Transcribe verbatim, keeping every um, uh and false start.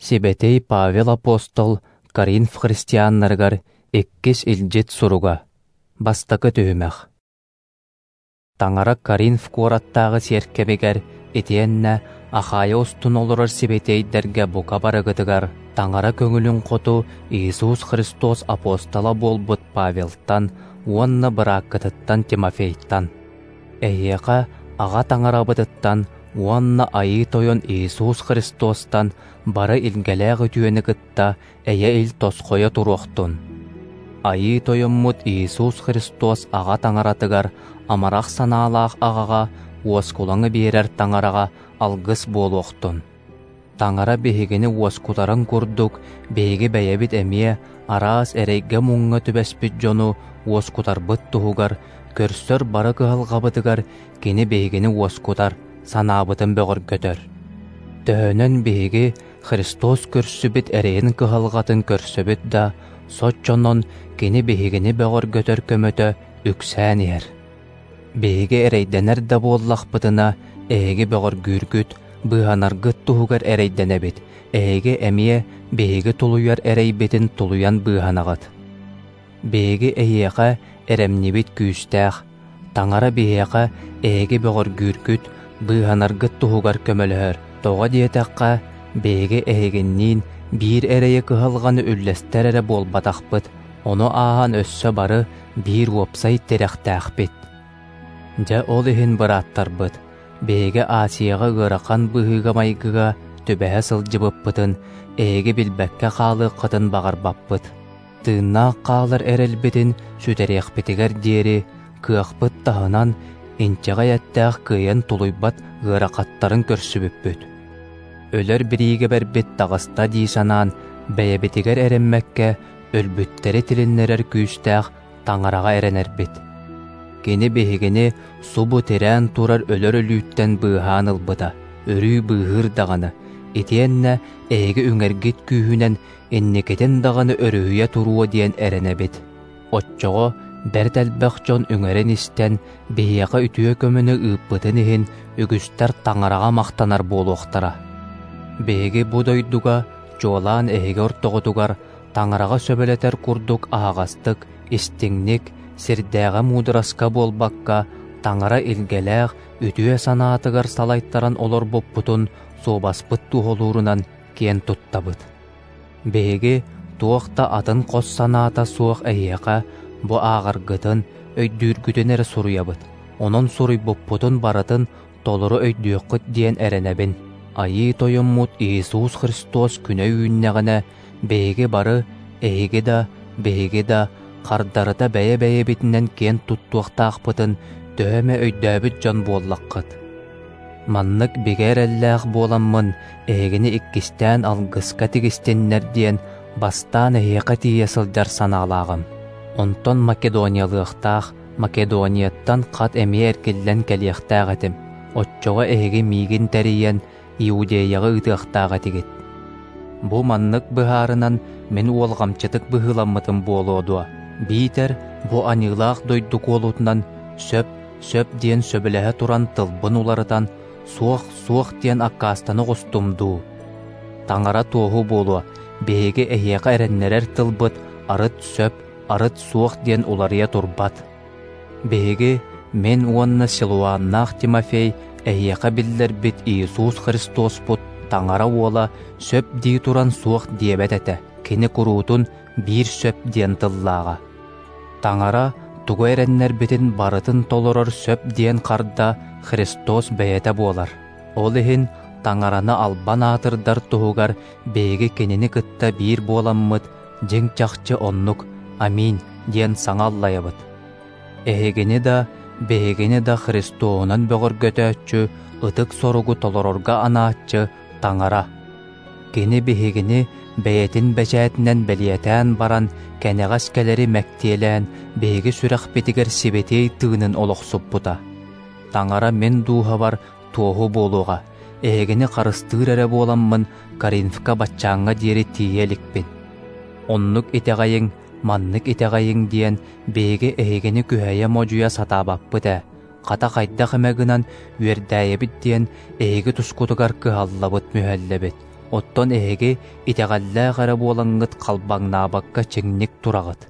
Сибэтиэй Павел апостол Коринф христианнарыгар иккис илдьит суруга. Бастакы түһүмэх. Таҥара Коринф куораттааҕы сиэркэбигэр итиэннэ Ахайя устун олорор сибэтиэйдэргэ бука барыгытыгар Таҥара көҥүлүн хоту Иисус Христос апостола буолбут Павелтан уонна бырааккытыттан Тимофейтан. Эһиэхэ Аҕа Таҥарабытыттан уонна Айыы Тойон Иисус Христостан бары илгэлээх үтүөнү кытта эйэ-ил тосхойо туруохтун. Айыы Тойоммут Иисус Христос Аҕа Таҥаратыгар амарах санаалаах аҕаҕа уоскулаҥы биэрэр Таҥараҕа алгыс буолуохтун. Таҥара биһигини уоскутарын курдук биһиги бэйэбит эмиэ араас эрэйгэ-муҥҥа түбэспит дьону уоскутарбыт туһугар көрсөр бары кыһалҕабытыгар кини биһигини уоскутар, санаабытын бөҕөргөтөр. Төһөнөн биһиги Христос көрсүбүт эрэйин кыһалҕатын көрсөбүт да, соччонон кини биһигини бөҕөргөтөр көмөтө үксээн иһэр. Биһиги эрэйдэнэр да буоллахпытына, эһиги бөҕөргүүргүт, быыһанаргыт туһугар эрэйдэнэбит, эһиги эмиэ биһиги тулуйар эрэйбитин тулуйан быыһанаҕыт. Биһиги эһиэхэ эрэмньибит күүстээх, Таҥара биһиэхэ эһиги бөҕөргүүргүт, быыһанаргыт туһугар көмөлөһөр. Тоҕо диэтэххэ, биһиги эһигинниин биир эрэйи кыһалҕаны үллэстэр эрэ буолбатахпыт, ону ааһан өссө бары биир уопсай тирэхтээхпит. Дьэ ол иһин бырааттарбыт, биһиги Асияҕа ыарахан быһыыга-майгыга түбэһэ сылдьыбыппытын эһиги билбэккэ хаалыаххытын баҕарбаппыт. Тыыннаах хаалар эрэлбитин сүтэриэхпитигэр диэри кыахпыт таһынан инчэҕэй эттээх кыайан тулуйбат ыарахаттарын көрсүбүппүт. Өлөр бириигэбэрбит таҕыста дии санаан бэйэбитигэр эрэммэккэ өлбүттэри тилиннэрэр күүстээх Таҥараҕа эрэнэрбит. Кини биһигини субу тирээн турар өлөр өлүүттэн быыһаан ылбыта, өрүү быыһыыр даҕаны, итиэннэ эһиги үҥэргит күүһүнэн инникитин даҕаны өрүһүйэ туруо диэн эрэнэбит. Оччоҕо бэрт элбэх дьон үҥэрин истэн биһиэхэ үтүө көмөнү ыыппытын иһин үгүстэр Таҥараҕа махтанар буолуохтара. Биһиги бу дойдуга чуолаан эһиги ортоҕутугар Таҥараҕа сөбүлэтэр курдук аһаҕастык, истиҥник, сирдээҕи муудараска буолбакка, Таҥара илгэлээх үтүө санаатыгар салайтаран олорбуппутун суобаспыт туоһулуурунан киэн туттабыт. Биһиги туох да атын хос санаата суох эһиэхэ бу ааҕаргытын, өйдүүргүтүн эрэ суруйабыт. Онон суруйбуппутун барытын толору өйдүөххүт диэн эрэнэбин. Айыы Тойоммут Иисус Христос күнэ үүннэҕинэ, биһиги бары, эһиги да, биһиги да, хардарыта бэйэ-бэйэбитинэн киэн туттуохтаахпытын төһө эмэ өйдөөбүт дьон буоллаххыт. Маннык бигэ эрэллээх буоламмын, эһигини иккистээн алгыска тигистиннэр диэн бастаан эһиэхэ тиийэ сылдьар санаалааҕым. Онтон Македониялыахтаах, Македонияттан хат эмиэ эргиллэн кэлиэхтээх этим. Оччоҕо эһиги миигин тэрийэн Иудеяҕа ыытыахтаах этигит. Бу маннык быһаарынан мин уолҕамчытык быһыыламмытым буолуо дуо? Биитэр бу аньыылаах дойду куолутунан сөп, сөп диэн сөбүлэһэ туран тылбын уларытан, суох, суох диэн аккаастана оҕустум дуу? Таҥара туоһу буолуо, биһиги эһиэхэ эрэннэрэр тылбыт арыт сөп, арыт суох диэн уларыйа турбат. Биһиги, мин уонна Силуаннаах Тимофей эһиэхэ биллэрбит Иисус Христоспут Таҥара уола сөп дии туран суох диэбэт этэ, кини куруутун биир сөп диэн тыллааҕа. Таҥара тугу эрэннэрбитин барытын толорор сөп диэн харда Христос бэйэтэ буолар. Ол иһин Таҥараны албан аатырдар туһугар биһиги кинини кытта биир буоламмыт дьиҥ чахчы оннук «Аминь» диэн саҥа аллайабыт. Эһигини да, биһигини да Христоһунан бөҕөргөтөөччү, ытык соругу толорорго анааччы Таҥара. Кини биһигини бэйэтин бэчээтинэн бэлиэтээн баран, кэнэҕэс кэлэри мэктиэлээн, биһиги сүрэхпитигэр сибэтиэй тыынын олохсуппута. Таҥара мин дууһабар туоһу буолуоҕа, эһигини харыстыыр эрэ буоламмын Коринфка баччааҥҥа диэри тиийэ иликпин. Оннук итэҕэйиҥ, маннык итэҕэйиҥ диэн биһиги эһигини күһэйэ-модьуйа сатаабаппыт ээ, хата хайдах эмэ гынан үөрдээйэбит диэн эһиги тускутугар кыһаллабыт мүһэллэбит. Оттон эһиги итэҕэллээх эрэ буолаҥҥыт халбаҥнаабакка чиҥник тураҕыт.